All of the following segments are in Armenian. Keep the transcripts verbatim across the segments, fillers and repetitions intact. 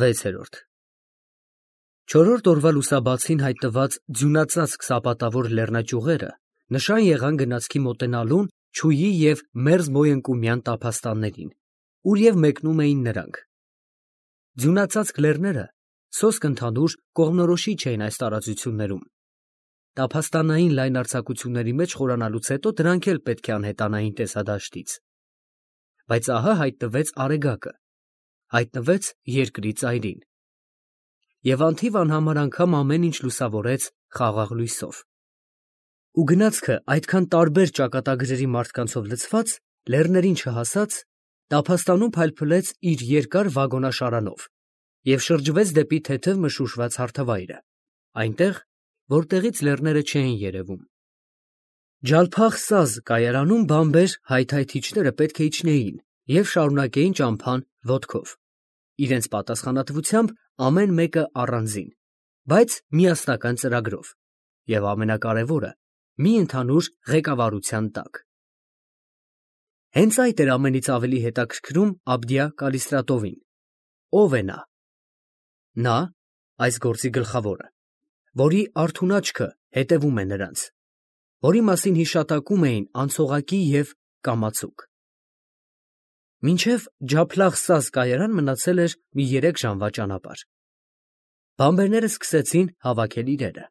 վեցերորդ Չորրորդ օրվա լուսաբացին հայտնված ձյունածածկ սապատավոր լեռնաճյուղերը նշան եղան գնացքի մոտենալուն Չուի և Մերձ Մոյընկումյան տափաստաններին, ուր և մեկնում էին նրանք։ Ձյունածածկ լեռները սոսկ ընդհանուր կողմնորոշիչ էին այս տարածություններում։ Տափաստանային լայն արձակությունների մեջ խորանալուց հետո դրանք էլ պետք է անհետանային տեսադաշտից։ Բայց ահա հայտնվեց Արեգակը, հայտնվեց երկրի ծայրին։ Եվ անթիվ անհամար անգամ ամեն ինչ լուսավորեց խաղաղ լույսով։ Ու գնացքը այդքան տարբեր ճակատագրերի մարդկանցով լցված, լեռներին չհասած, տափաստանում փայլփլեց իր երկար վագոնաշարանով և շրջվեց դեպի թեթև մշուշված հարթավայրը, այնտեղ, որտեղից լեռները չէին երևում։ Ջալփախ-Սազ կայարանում բամբեր հայթայթիչները պետք է իջնեին և շարունակեին ճամփան ոտքով, իրենց պատասխանատվությամբ ամեն մեկը առանձին, բայց միասնական ծրագրով և ամենակարևորը՝ մի ընդհանուր ղեկավարության տակ։ Հենց այդ էր ամենից ավելի հետաքրքրում Աբդիա Կալիստրատովին։ Ո՞վ է նա։ Նա, այս գործի գլխավորը, որի արթուն աչքը հետևում է նրանց, որի մասին հիշատակում էին անցողակի և կամացուկ։ Մինչև Ջափլախ-Սազ կայարան մնացել էր մի երեք ժամվա ճանապարհ։ Բամբերները սկսեցին հավաքել իրերը։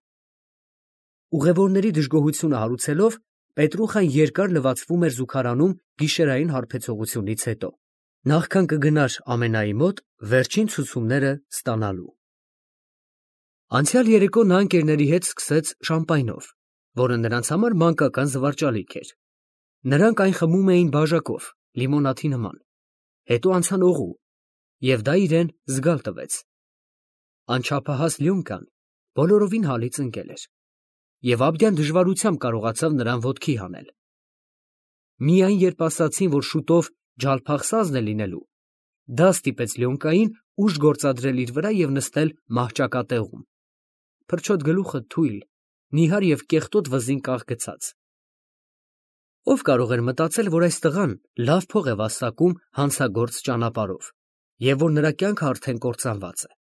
Ուղևորների դժգոհությունը հարուցելով, Պետրուխան երկար լվացվում էր զուգարանում գիշերային հարբեցողությունից հետո, նախքան կգնար Ամենայի մոտ վերջին ցուցումները ստանալու։ Անցյալ երեկո նա ընկերների հետ սկսեց շամպայնով, որը նրանց համար մանկական զվարճալիք էր։ Նրանք այն խմում էին բաժակով, լիմոնադի նման, հետո անցան օղու, և դա իրեն զգալ տվեց։ Անչափահաս Լյոնկան բոլորովին հալից ընկել էր, և Աբդյան դժվարությամբ կարողացավ նրան ոտքի հանել։ Միայն երբ ասացին, որ շուտով Ջալփախ-Սազն է լինելու, դա ստիպեց Լյոնկային ուժ գործադրել իր վրա և նստել մահճակատեղում, փրչոտ գլուխը թույլ, նիհար և կեղտոտ վզին կաղ գցած։ Ո՞վ կարող էր մտածել, որ այս տղան լավ փող է վաստակում հանցագործ ճանապարհով, և որ նրա կյանքը արդեն կործանված է։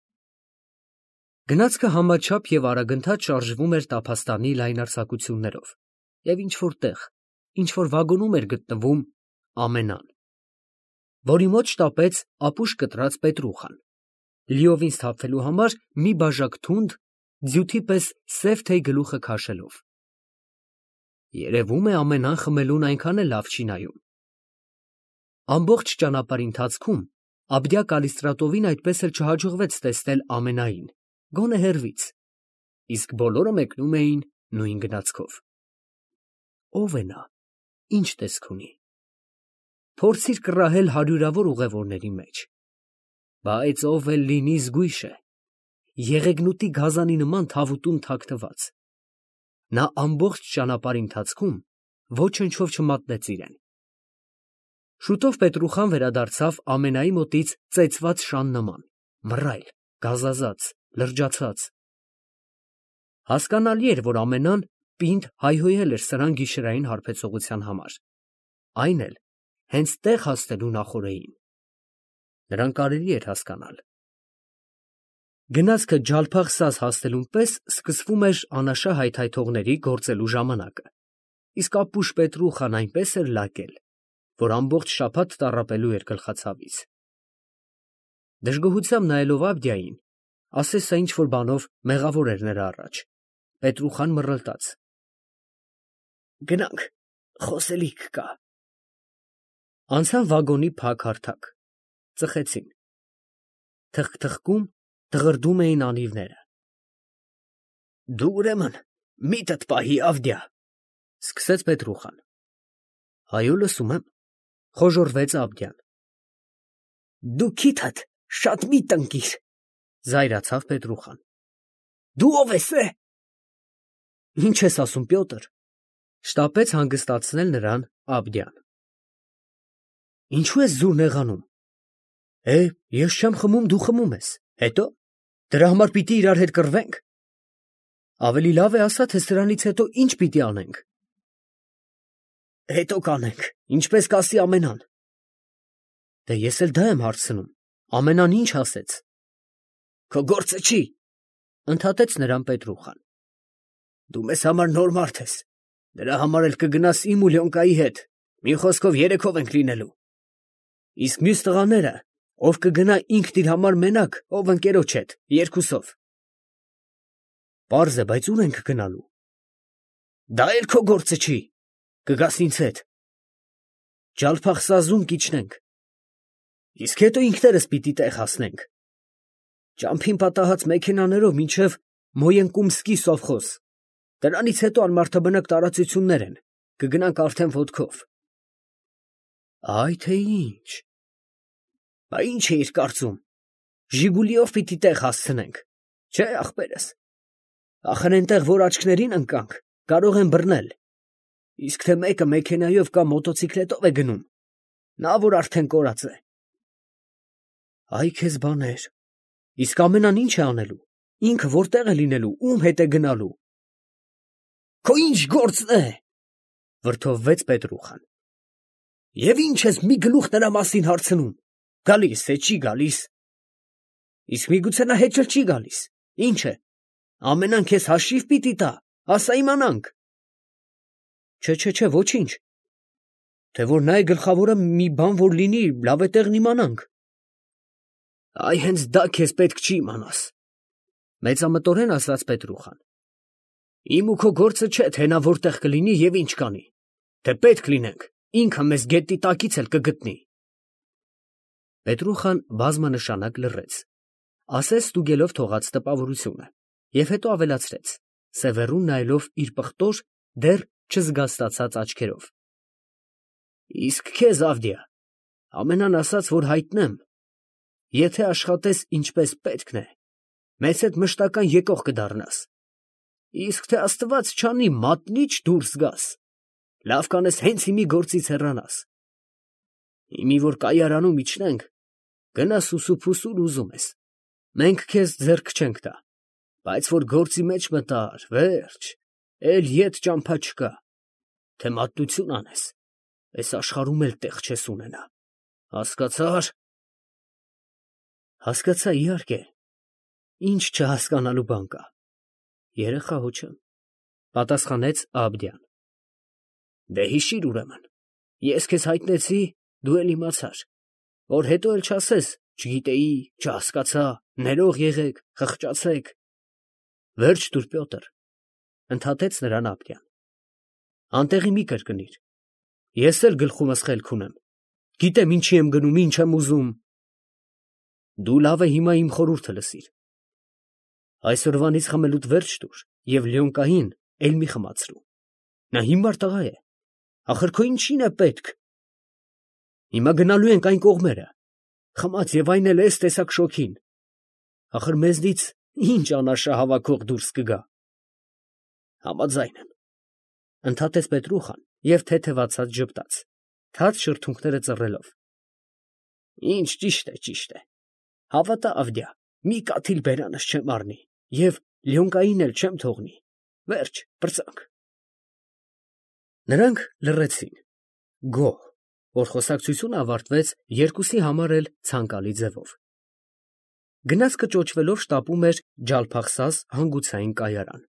Գնացքը համաչափ և արագընթաց շարժվում էր տափաստանի լայնարձակություններով, և ինչ֊որ տեղ, ինչ֊որ վագոնում էր գտնվում Ամենան, որի մոտ շտապեց ապուշ կտրած Պետրուխան, լիովին սթափվելու համար մի բաժակ թունդ, ձյութի պես սև թեյ գլուխը քաշելով։ Երևում է Ամենան խմելուն այնքան էլ լավ չի նայում։ Ամբողջ ճանապարհի ընթացքում Աբդիա Կալիստրատովին այդպես էլ չհաջողվեց տեսնել Ամենային, գոնե հեռվից, իսկ բոլորը մեկնում էին նույն գնացքով։ Ո՞վ է նա, ի՞նչ տեսք ունի։ Փորձիր կռահել հարյուրավոր ուղևորների մեջ, բայց ով էլ լինի զգույշ է, եղեգնուտի գազանի նման թավուտում թաքնված։ Նա ամբողջ ճանապարհի ընթացքում ոչնչով չմատնեց իրեն։ Շուտով Պետրուխան վերադարձավ Ամենայի մոտից ծեծված շան նման, մռայլ, գազազած, լրջացած։ Հասկանալի էր, որ Ամենան պինդ հայհոյել էր սրան գիշերային հարբեցողության համար, այն էլ հենց տեղ հասնելու նախօրեին։ Նրան կարելի էր հասկանալ։ Գնացքը Ջալփախ-Սազ հասնելուն պես սկսվում էր անաշա հայթայթողների գործելու ժամանակը, իսկ ապուշ Պետրուխան այնպես էր լակել, որ ամբողջ շաբաթ տառապելու էր գլխացավից։ Դժգոհությամբ նայելով Աբդիային, ասես սա ինչ֊որ բանով մեղավոր էր նրա առաջ, Պետրուխան մռլտաց։ Գնանք, խոսելիք կա։ Անցան վագոնի փակ֊հարթակ, ծխեցին։ Թխկթխկում, դղրդում էին անիվները։ Դու ուրեմն միտդ պահի, Ավդիա, սկսեց Պետրուխան։ Այո, լսում եմ, խոժոռվեց Աբդյան։ Դու քիթդ շատ մի տնկիր, զայրացավ Պետրուխան։ Դու ով ես է։ Ինչ ես ասում, Պյոտր, շտապեց հանգստացնել նրան Աբդյան։ Ինչու ես զուր նեղանում։ Է, ես չեմ խմում, դու խմում ես, հետո, դրա համար պիտի իրար հետ կռվենք։ Ավելի լավ է ասա, թե սրանից հետո ինչ պիտի անենք։ Հետո կանենք, ինչպես կասի Ամենան։ Դե ես էլ դա եմ հարցնում, Ամենան ինչ ասեց։ քո գործը չի, ընդհատեց նրան Պետրուխան։ Դու մեզ համար նոր մարդ ես, դրա համար էլ կգնաս իմ ու Լյոնկայի հետ, մի խոսքով երեքով ենք լինելու։ Իսկ մյուս տղաները, ով կգնա ինքն իր համար մենակ, ով ընկերոջ հետ, երկուսով։ Պարզ է, բայց ուր ենք գնալու։ Դա էլ քո գործը չի, կգաս ինձ հետ։ Ջալփախսազում կիջնենք։ Իսկ հետո ինքներս պիտի տեղ հասնենք։ Ճամփին պատահած մեքենաներով մինչև Մոյենկումսկի սովխոզ։ Դրանից հետո անմարդաբնակ տարածություններ են, կգնանք արդեն ոտքով։ Այ թե ինչ։ Բա ինչ էիր կարծում։ Ժիգուլիով պիտի տեղ հասցնենք։ Չէ, ախպերս։ Ախր այնտեղ, որ աչքներին ընկանք, կարող են բռնել։ Իսկ թե մեկը մեքենայով կամ մոտոցիկլետով է գնում, նա որ արդեն կորած է։ Այ քեզ բաներ։ Իսկ ամենան ինչ է անելու։ Ինքը որտեղ է լինելու, ում հետ է գնալու։ Քո ինչ գործն է, վրդովվեց Պետրուխան։ Եվ ինչ ես մի գլուխ նրա մասին հարցնում։ Գալիս է, չի գալիս։ Իսկ միգուցե նա հետ չի գալիս։ Ինչ է։ Ամենան քեզ հաշիվ պիտի տա, ասա իմանանք։ Չէ, չէ, չէ, ոչինչ։ Թե որ նա է գլխավորը մի բան որ լինի, լավ է տեղն իմանանք։ Այ հենց դա քեզ պետք չի իմանաս, մեծամտորեն ասաց Պետրուխան։ Իմ ու քո գործը չէ, թե նա որտեղ կլինի և ինչ կանի, թե պետք լինենք, ինքը մեզ գետի տակից էլ կգտնի։ Պետրուխան բազմանշանակ լռեց, ասես ստուգելով թողած տպավորությունը, և հետո ավելացրեց, սևեռուն նայելով իր պղտոր, դեռ չզգաստացած աչքերով. Իսկ քեզ, Ավդիա, ամենան ասած, որ հայտնեմ, եթե աշխատես ինչպես պետքն է, մեզ հետ մշտական եկող կդառնաս, իսկ թե Աստված չանի մատնիչ դուրս գաս, լավ կանես հենց հիմի գործից հեռանաս։ Հիմի որ կայարանում իջնենք, գնաս ուսուփուսուր ուզում ես, մենք քեզ ձեռք չենք տա, բայց որ գործի մեջ մտար, վերջ, էլ ետ ճամփա չկա, թե մատնություն անես, այս աշխարհում էլ տեղ չես ունենա, հասկացա՞ր։ Հասկացա, իհարկե, ինչ չհասկանալու բան կա, երեխա հո չեմ, պատասխանեց Աբդյան։ Դե հիշիր ուրեմն, ես քեզ հայտնեցի, դու էլ իմացար, որ հետո էլ չասես, չգիտեի, չհասկացա, ներող եղեք, խղճացեք։ Վերջ տուր, Պյոտր, ընդհատեց նրան Աբդյան։ Անտեղի մի կրկնիր, ես էլ գլխումս խելք ունեմ, գիտեմ ինչի եմ գնում, ինչ եմ ուզում։ Դու լավ է հիմա իմ խորհուրդը լսիր։ Այսօրվանից խմելուդ վերջ տուր և Լյոնկային էլ մի խմացրու։ Նա հիմար տղա է, ախր քո ինչին է պետք։ Հիմա գնալու ենք այն կողմերը, խմած և այն էլ էս տեսակ շոգին, ախր մեզնից ինչ անարշահավաքող դուրս կգա։ Համաձայն եմ, ընդհատեց Պետրուխան և թեթևացած ժպտաց, թաց շրթունքները ծռելով։ Ինչ ճիշտ է, ճիշտ է, հավատա Ավդիա, մի կաթիլ բերանս չեմ առնի և Լյոնկային էլ չեմ թողնի, վերջ, պրծանք։ Նրանք լռեցին, գոհ, որ խոսակցությունը ավարտվեց երկուսի համար էլ ցանկալի ձևով։ Գնացքը ճոճվելով շտապում էր Ջալփախսազ հանգուցային կայարան,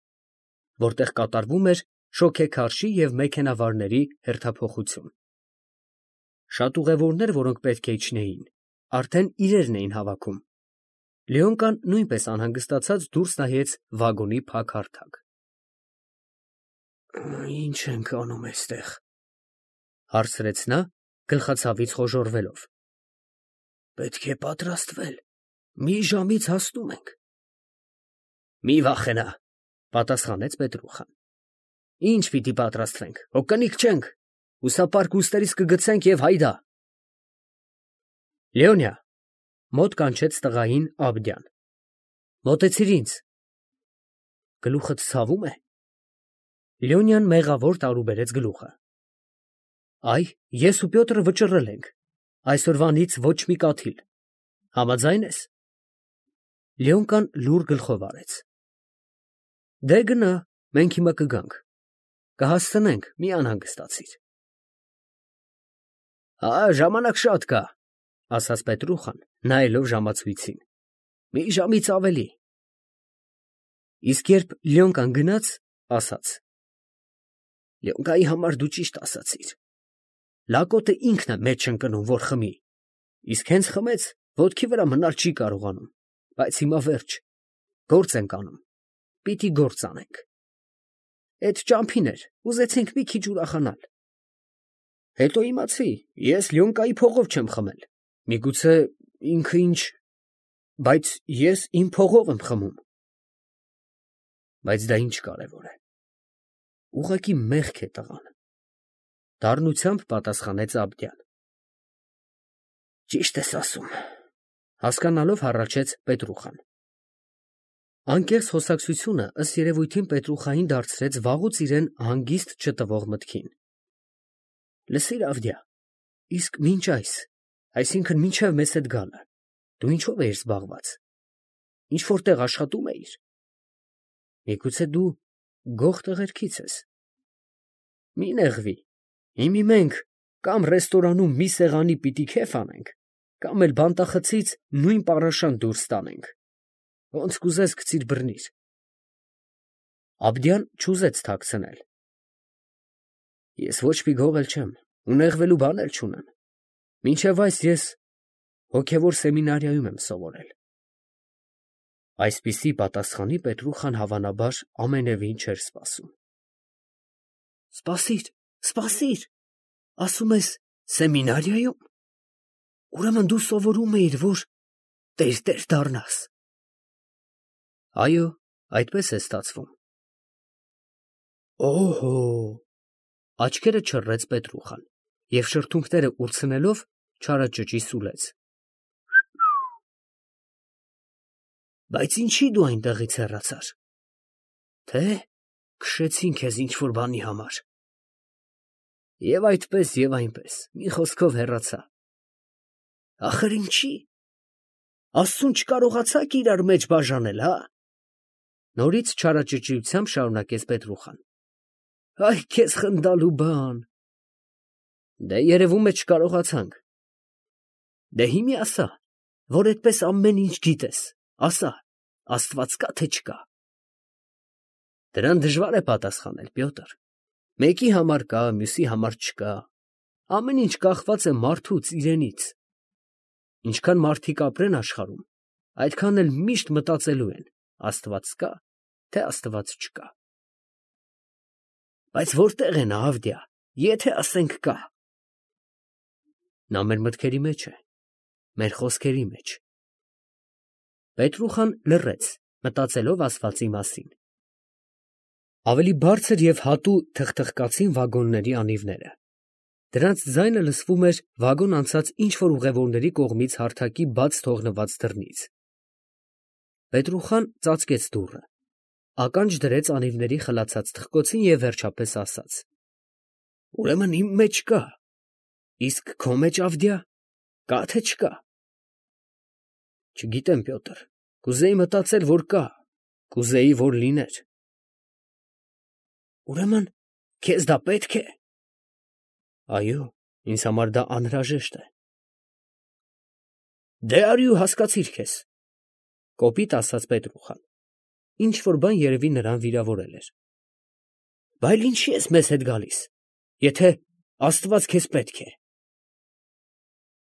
որտեղ կատարվում էր շոգեքարշի և մեքենավարների հերթափոխություն։ Շատ ուղևորներ, որոնք պետք է իջնեին, արդեն իրերն էին հավաքում։ Լեոնկան նույնպես անհանգստացած դուրս նայեց վագոնի փակ հարթակ։ Ինչ ենք անում այստեղ, հարցրեց նա, գլխացավից խոժոռվելով։ Պետք է պատրաստվել, մի ժամից հասնում ենք։ Մի վախենա, պատասխանեց Պետրուխան։ Ինչ պիտի պատրաստվենք, հո կնիկ չենք, հուսապարկ ուստերից կգցենք և հայդա։ Լեոնիա, մոտ կանչեց տղային Աբդյան։ Մոտեցիր ինձ։ Գլուխդ ցավում է։ Լեոնյան մեղավոր տարուբերեց գլուխը։ Այ, ես ու Պյոտրը վճռել ենք, այսօրվանից ոչ մի կաթիլ, համաձայն ես։ Լեոնկան լուռ գլխով արեց։ Դե գնա, մենք հիմա կգանք, կհասցնենք, մի անհանգստացիր։ Հա, ժամանակ շատ կա, ասաց Պետրուխան, նայելով ժամացույցին։ Մի ժամից ավելի։ Իսկ երբ Լյոնկան գնաց, ասաց. Լյոնկայի համար դու ճիշտ ասացիր։ Լակոտը ինքն է մեջ ընկնում, որ խմի, իսկ հենց խմեց, ոտքի վրա մնալ չի կարողանում, բայց հիմա վերջ, գործ ենք անում, պիտի գործ անենք։ Էդ ճամփին էր, ուզեցինք մի քիչ ուրախանալ։ Հետո իմացի, ես Լյոնկայի փողով չեմ խմել, միգուցե ինքը ինչ, բայց ես իմ փողով եմ խմում։ Բայց դա ինչ կարևոր է։ Ուղղակի մեղք է տղան։ Դառնությամբ պատասխանեց Աբդյան։ Ճիշտ ես ասում, հասկանալով հառաչեց Պետրուխան։ Անկեղծ խոսակցությունը ըստ երևույթին Պետրուխային դարձրեց վաղուց իրեն հանգիստ չտվող մտքին։ Լսիր, Ավդիա, իսկ մինչ այս, այսինքն մինչև մեզ հետ գալը, դու ինչով էիր զբաղված։ Ինչ որտեղ աշխատում էիր։ Միգուցե դու գող տղերքից ես։ Մի նեղվի, հիմի մենք կամ ռեստորանում մի սեղանի պիտի քեֆ անենք, կամ էլ բանտախցից նույն պառաշան դուրս տանենք։ Ոնց կուզես գցիր բռնիր։ Աբդյան չուզեց թաքցնել։ Ես ոչ մի գող էլ չեմ, ու նեղվելու բան էլ չունեմ։ Մինչև այս ես հոգևոր սեմինարիայում եմ սովորել։ Այսպիսի պատասխանի Պետրուխան հավանաբար ամենևին չէր սպասում։ Սպասիր, սպասիր, ասում ես սեմինարիայում։ Ուրեմն դու սովորում էիր, որ տերտեր դառնաս։ Այո, այդպես է ստացվում։ Օհո, աչքերը չռեց Պետրուխան և շրթունքները ուրցնելով չարաճճի սուլեց։ Բայց ինչի դու այնտեղից հեռացար։ Թե քշեցին քեզ ինչ-որ բանի համար։ Եվ այդպես, և այնպես, մի խոսքով հեռացա։ Ախր ինչի։ Աստծուն չկարողացաք իրար մեջ բաժանել, հա։ Նորից չարաճճիությամբ շարունակեց Պետրուխան։ Այ քեզ խնդալու բան։ Դե երևում է չկարողացանք։ Դե հիմի ասա, որ այդպես ամեն ինչ գիտես, ասա, Աստված կա թե չկա։ Դրան դժվար է պատասխանել, Պյոտր։ Մեկի համար կա, մյուսի համար չկա։ Ամեն ինչ կախված է մարդուց իրենից։ Ինչքան մարդիկ ապրեն աշխարհում, այդքան էլ միշտ մտածելու են. Աստված կա, թե Աստված չկա։ Բայց որտեղ է նա, Ավդիա, եթե ասենք կա։ Նա մեր մտքերի մեջ է, մեր խոսքերի մեջ։ Պետրուխան լռեց, մտածելով ասվածի մասին։ Ավելի բարձր և հատու թխթխկացին վագոնների անիվները։ Դրանց ձայնը լսվում էր վագոն անցած ինչ-որ ուղևորների կողմից հարթակի բաց թողնված դռնից։ Պետրուխան ծածկեց դուռը, ականջ դրեց անիվների խլացած թխկոցին և վերջապես ասաց. Ուրեմն իմ մեջ կա, իսկ քո մեջ, Ավդիա, կա թե չկա։ Չգիտեմ, Պյոտր, կուզեի մտածել, որ կա, կուզեի, որ լիներ։ Ուրեմն քեզ դա պետք է։ Այո, ինձ համար դա անհրաժեշտ է։ Դե արի ու հասկացիր քեզ, կոպիտ ասաց Պետրուխան։ Ինչ որ բան երևի նրան վիրավորել էր։ Բայց ինչի ես մեզ հետ գալիս, եթե Աստված քեզ պետք է։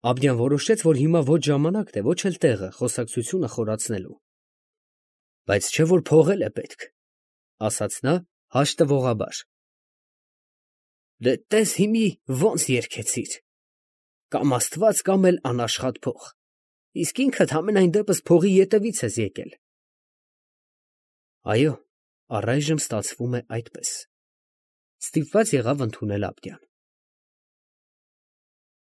Աբդյան որոշեց, որ հիմա ոչ ժամանակն է, ոչ էլ տեղը խոսակցությունը խորացնելու։ Բայց չէ որ փողել է պետք, ասաց նա հաշտվողաբար։ Դե տես հիմի ոնց երգեցիր. կամ Աստված, կամ էլ անաշխատ փող, իսկ ինքդ համենայն դեպս փողի ետևից ես եկել։ Այո, առայժմ ստացվում է այդպես։ Ստիպված եղավ ընդունել Աբդյան։